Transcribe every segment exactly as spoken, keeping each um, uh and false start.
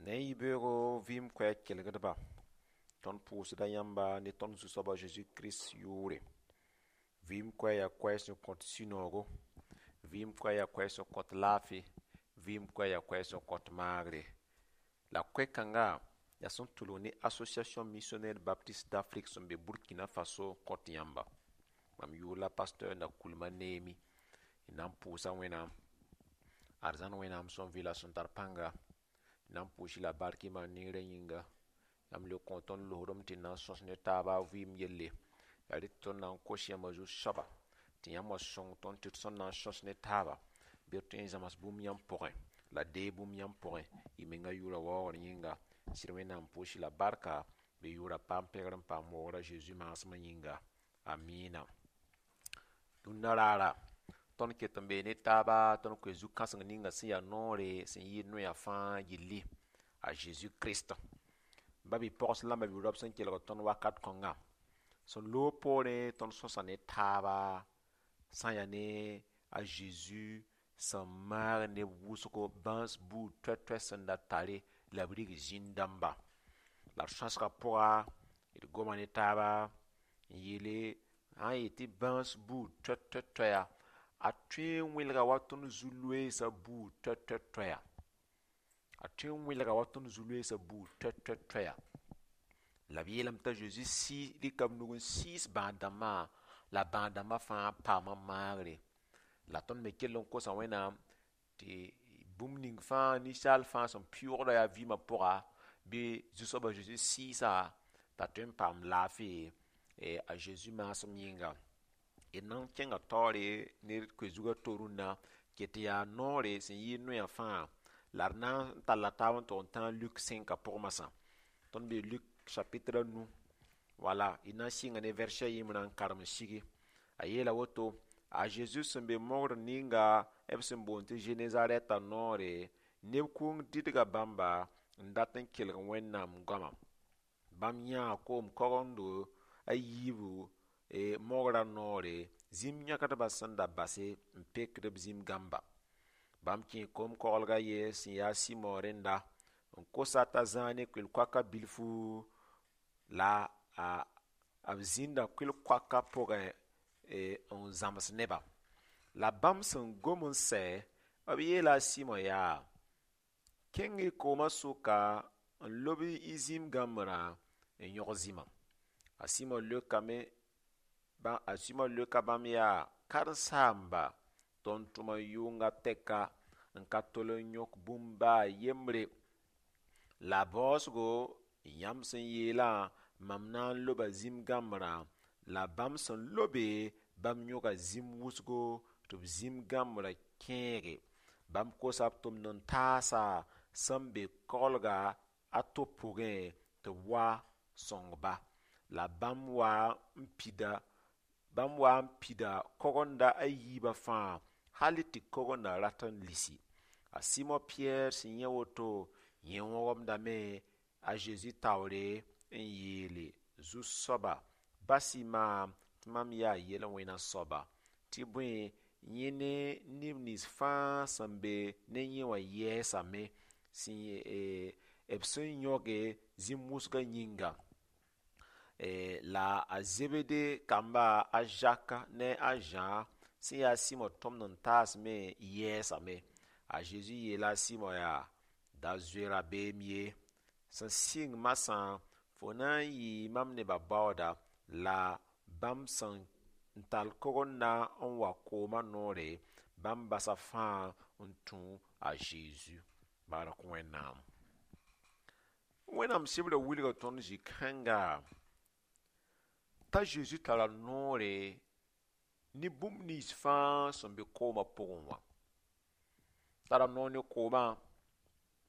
Ne yibeoogo vɩɩm koɛɛg kelgdba tõnd pʋʋsda yãmba ne tõnd Zu-soaba Zeezi Kirist yʋʋre. Vɩɩm koɛɛg yaa koɛɛg sẽn kõt sũ-noogo, vɩɩm koɛɛg yaa koɛɛg sẽn kõt laafɩ, vɩɩm koɛɛg yaa koɛɛg sẽn kõt maagre. La koɛ-kãnga yaa sẽn tʋlg ne Association Missionnaire Baptiste d'Afrique sẽn be Burkina Faso n kõt yãmba. Mam yʋʋr la pasteur Nakoulma Neemi. D na n pʋʋsa Wẽnnaam arzãn Wẽnnaam sẽn vɩ la sẽn tar pãnga d na n pʋʋs-y la bark y maan neerã yĩnga. Yãmb le kõ tõnd losdem tɩ na n sõs ne taaba vɩɩm yelle. Yaa rɩ tɩ tõnd na n kos yãmba zu-soaba tɩ yãmb wa sõng tõnd tɩ d sẽn na n sõs ne taaba bɩ d tõe n zãms bũmb yãmb pʋgẽ la deeg bũmb yãmb pʋgẽ y menga yʋʋra waoogr yĩnga. Sɩd Wẽnnaam pʋʋs-y la barka bɩ yʋʋra paam pẽgr n paam waoogrã Zeezi maasmã yĩnga. Amiina. Dũnna raara tõnd ket n bee ne taaba tõnd koe zu-kãseng ninga sẽn yaa noore sẽn yɩɩd noya fãa gilli a Zeezi Kirist. Ba bi-pogs la b sẽn kelg tõnd wakat kõnga sẽn loog poorẽ tõnd sõsa ne taaba sã n yaa ne a Zeezi sẽn maag neb wʋsgo bãas buud toɛ-toɛ sẽn da tare la b rig zĩn-dãmba. La d sõsga pʋga d goma ne taaba n yeele sã n yet tɩ bãas buud toɛ-toɛ-toɛya a tõe n wẽlga wa tõnd zu-loeesã buud toɛ-toɛ-toɛya. A tõe n wẽlga wa tõnd zu-loeesã buud toɛ-toɛ-toɛya. La b yeelame t'a Zeezi sɩɩs rɩka b nug n sɩɩs bãad-dãmbã la bãad-dãmbã fãa paama maagre. La tõnd me kell n kosa Wẽnnaam tɩ bũmb ning fãa ninsaal fãa sẽn pɩʋʋgda yaa vɩɩmã pʋga bɩ Zu-soabã Zeezi sɩɩsa t'a tõe n paam laafɩ a Zeezi maasem yĩnga. D na n kẽnga taoore ne d koe-zugã to rũnnã ket yaa noore sẽn yɩɩd noyã fãa la d na n talla taab n tog n tãag Luk sẽnka pʋg masã. Tõnd bee Luk chapitre a nu wala y na n sɩnga ne verset a yembrã n karem n sigi. A yeela woto a Zeezi sẽn be mogr ninga b sẽn boond tɩ Zenezarɛtã noore neb kʋʋng dɩdga bãmba n dat n kelg Wẽnnaam goama. Bãmb yãa koom kogendgo a yiibu mogrã noore zĩm yãkdbã sẽn da base n pekd b zĩm gãmba. Bãmb kẽe koom-koglg a ye sẽn yaa Sɩmo rẽnda n kosa t'a zãag ne kʋɩl-koakã bilfu la a b zĩnda kʋɩl-koakã pʋgẽ n zãms neba. La bãmb sẽn gom n sɛ b yeela a Sɩmo yaa kẽng y koomã sʋka n lob y zĩm gãmbrã n yõg zĩma. A Sɩmo leokame a Sɩmo leoka bãmb yaa karen-saamba tõnd tʋma yʋnga tɛka n ka tol n yõk bũmb baa yembre. La baoosgo yãmb sẽn yeelã mam na n loba zĩm gãmbrã la bãmb sẽn lobe bãmb yõga zĩm wʋsgo tɩ b zĩm gãmbrã kẽege. Bãmb kosa b tʋmd n taasa sẽn be koglga a to pʋgẽ tɩ b wa sõngba. La bãmb wa n pida bãmb wa n pida kogenda a yiibã fãa hal tɩ kogenda rat n lisi. A Sɩmo Pɩyɛɛr sẽn yẽ woto yẽ wõgemdame a Zeezi taoore n yeele Zu-soaba bas-y maam tɩ mam yaa yel-wẽna soaba tɩ bõe yẽ ne neb nins fãa sẽn be ne yẽ wã yɛɛsame sẽn b sẽn yõge zĩm wʋsgã yĩnga. La a Zebede kamba a Zak ne a Zã sẽn yaa Sɩmo tʋmd n taas me yɛɛsame. A Zeezi yeela a Sɩmo yaa da zoe rabeem ye sẽn sɩng masã fo na n yɩɩ mam nebã baooda la bãmb sẽn n tall kogenda n wa koomã noore bãmb basa fãa n tũ a Zeezi. Bark Wẽnnaam. Wẽnnaam sɩbrã wilga tõnd zĩ-kãnga t'a Zeezi tara noore ne bũmb nins fãa sẽn be koomã pʋgẽ wã. Tara noor ne koomã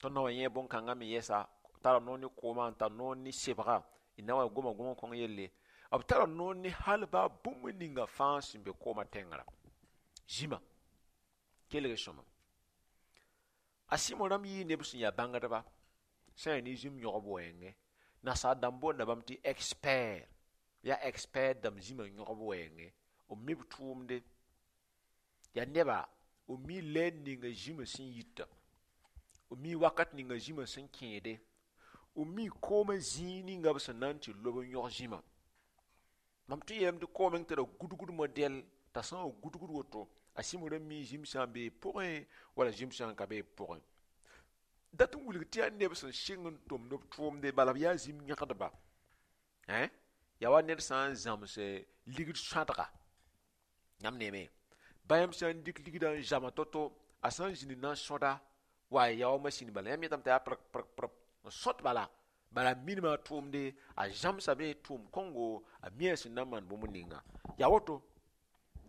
tõnd na wa yẽ bõn-kãngã me yɛsa tara noor ne koomã n tar noor ne sebga d na wa goma gom kõng yelle b tara noor ne hal baa bũmb ninga fãa sẽn be koomã tẽngrã zĩma kelg sõma a Sɩmo rãmb yɩɩ neb sẽn yaa bãngdba sã n yaa ne zĩm yõgb wɛɛngẽ nasaar dãmb boonda bãmb tɩ expert yaa expert dãmb zĩmã yõgb wɛɛngẽ b mi b tʋʋmde yaa neba b mi lɛɛr ninga zĩmã sẽn yita B mi wakat ninga zĩmã sẽn kẽede. B mi koomã zĩig ninga b sẽn na n tɩ lob n yõg zĩmã. Mam tɩ yeelame tɩ koom meng tara gudgd modɛl t'a sã n wa gudgd woto a Sɩmo ra mi zĩm sã n bee pʋgẽ wala zĩm sã n ka bee pʋgẽ. Dat n wilg tɩ yaa neb sẽn sɩng n tʋmd b tʋʋmde bala b yaa zĩm yãgdba. Yaa wa ned sã n zãms ligd sõadga yãmb neeme ba yãmb sã n dɩk ligdã n zama to-to a sã n zĩnd n na n sõda wa yaa wa masĩn bala yãmb yetame t'a yaa prg prg prg n sõt bala bala a minima a tʋʋmde a zãmsame tʋʋm kõngo a mi a sẽn na n maan bũmb ninga yaa woto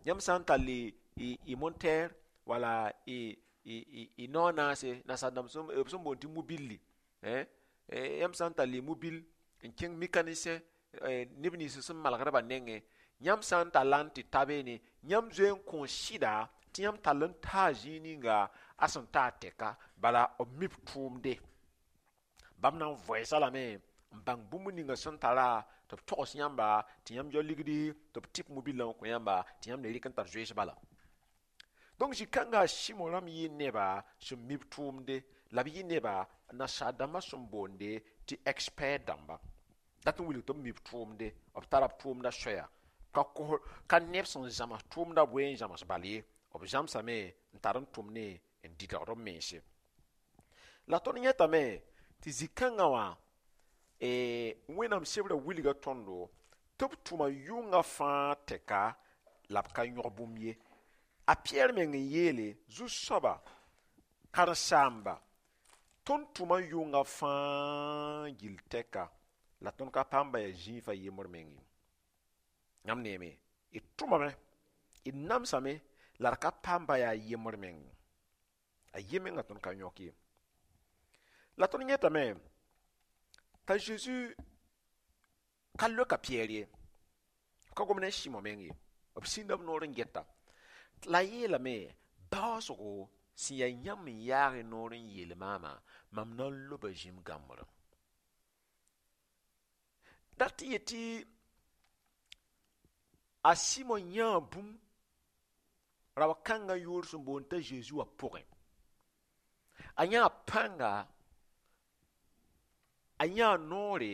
yãmb sã n tall y montɛɛr wala y nao naase nasaar-dãmb b sẽn boond tɩ mobilli yãmb sã n tall y mobil n kẽng mécanicien neb nins sẽn malgdbã nengẽ yãmb sã n talla n tɩ ta beene yãmb zoe n kõ sɩda tɩ yãmb tall n taa zĩig ninga a sẽn taa tɛka bala b mi b tʋʋmde bãmb na n voɛɛsa lame n bãng bũmb ninga sẽn tara tɩ b togs yãmba tɩ yãmb yao ligdi tɩ b tɩp mobilã n kõ yãmba tɩ yãmb le rɩk n tar zoees bala donc zĩ-kãngã a Sɩmo rãmb yɩ neba sẽn mi b tʋʋmde la b yɩ neba nasaar dãmbã sẽn boonde tɩ expert dãmba dat n wilg tɩ b mi b tʋʋmde b tara b tʋʋmda soaya ka kos ka neb sẽn zãms tʋʋmda boe n zãms bal ye b zãmsame n tar n tʋm ne n dɩdgd b mense la tõnd yẽtame tɩ zĩ-kãngã wã Wẽnnaam sebrã wilga tõndo tɩ b tʋma yʋngã fãa tɛka la b ka yõg bũmb ye a Pɩyɛɛr meng n yeele zu-soaba karen-saamba tõnd tʋma yʋngã fãa gill tɛka la tõnd ka paam ba yaa zĩifã yembr meng ye yãmb neeme d tʋmame d namsame la d ka paam ba yaa yembr meng a ye menga tõnd ka yõk ye la tõnd yẽtame t'a Zeezi ka loka Pɩyɛɛr ye b ka gom ne Sɩmo meng ye b sĩnda b noor n geta la yeelame baoosgo sẽn yaa yãmb n yaag y noor n yeel maamã mam na n loba zĩm gãmbrẽ dat tɩ yetɩ a Sɩmo yãa bũmb rao-kãngã yʋʋr sẽn boond t'a Zeezi wã pʋgẽ a yãa pãnga a yãa noore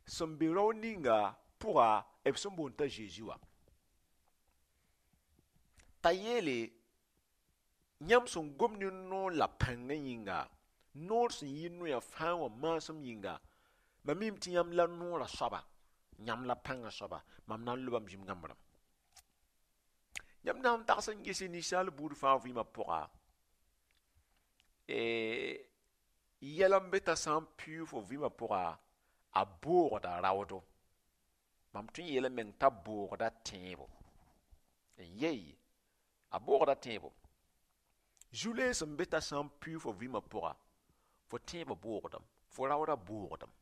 sẽn be rao ninga pʋga b sẽn boond t'a Zeezi wã t'a yeele yãmb sẽn gom ne noor la pãngã yĩnga noor sẽn yɩ noyã fãa wã maasem yĩnga mam mim tɩ yãmb la noorã soaba yãmb la pãngã soaba mam na n lobame zĩm gãmbrã yãmb na n tags n ges ninsaal buud fãa vɩɩmã pʋga yɛl n be t'a sã n pɩʋʋg fo vɩɩmã pʋga a boogda raoodo mam tõe n yeelame meng t'a boogda tẽebo n yei a boogda tẽebo zu-lees n be t'a sã n pɩʋʋg fo vɩɩmã pʋga fo tẽebã boogdame fo raooda boogdame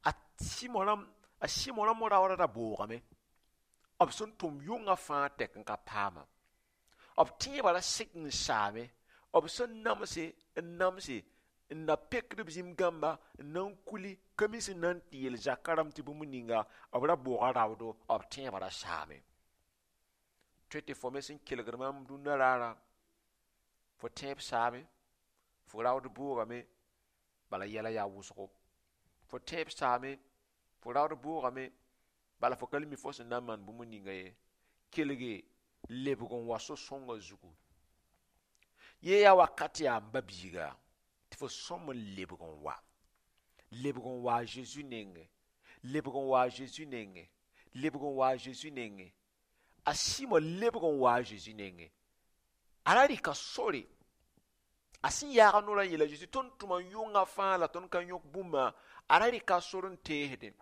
a Sɩmo rãmb a Sɩmo rãmb raooda ra boogame b sẽn tʋm yʋngã fãa tɛk n ka paama b tẽebã ra sik n saame b sẽn namse n namse n na pekd b zĩm gãmba n na n kuli ka mi sẽn na n tɩ yeel zakã rãmb tɩ bũmb ninga b ra booga raoodo b tẽebã ra saame tõe tɩ fo me sẽn kelgd maam dũnna raarã fo tẽeb saame fo raood boogame bala yɛla yaa wʋsgo fo tẽeb saame fo raood boogame bala fo ka le mi fo sẽn na n maan bũmb ninga ye kelge lebg n wa so-sõngã zugu ye yaa wakat yaa n ba biiga tɩ fo sõm n lebg n wa lebg n wa a Zeezi nengẽ lebg n wa a Zeezi nengẽ lebg n wa a Zeezi nengẽ a Sɩmo lebg n wa a Zeezi nengẽ a ra rɩka sore a sẽn yaag a noorã n yeela Zeezi tõnd tʋma yʋngã fãa la tõnd ka yõk bũmba a ra rɩka sor n teesdẽ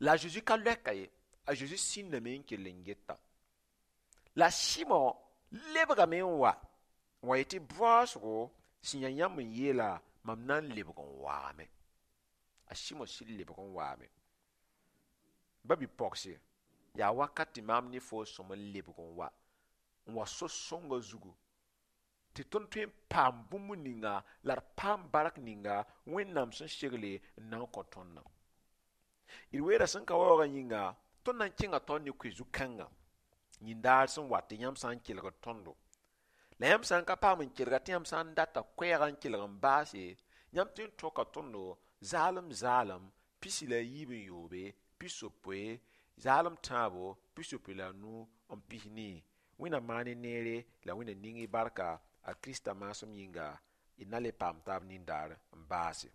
la a Zeezi ka loɛka ye a Zeezi sĩndame n kell n geta la Sɩmo lebgame n wa n wa yetɩ baoosgo sẽn yaa yãmb n yeela mam na n lebg n waame a Sɩmo sɩd lebg n waame ba bi-pɔgse yaa wakat tɩ maam ne fo sõm n lebg n wa n wa so-sõngã zugu tɩ tõnd tõe n paam bũmb ninga la d paam bark ninga Wẽnnaam sẽn segle n na n kõ tõndã d weera sẽn ka waoogã yĩnga tõnd na n kẽnga taoor ne koe zu-kãngã yĩndaar sẽn wat tɩ yãmb sã n kelgd tõndo La yãmb sã n ka paam n kelga tɩ yãmb sã n data koɛɛgã n kelg n baase, yãmb tõe n tõka tõndo zaalem zaalem pisi la yiib n yoobe, pis-yopoe, zaalem tãabo, pis-yopoe la a nu n pis nii. Wẽnnaam maan y neere la Wẽnnaam ning y barka a Krista maasem yĩnga, y na le paam taab nindaar n baase.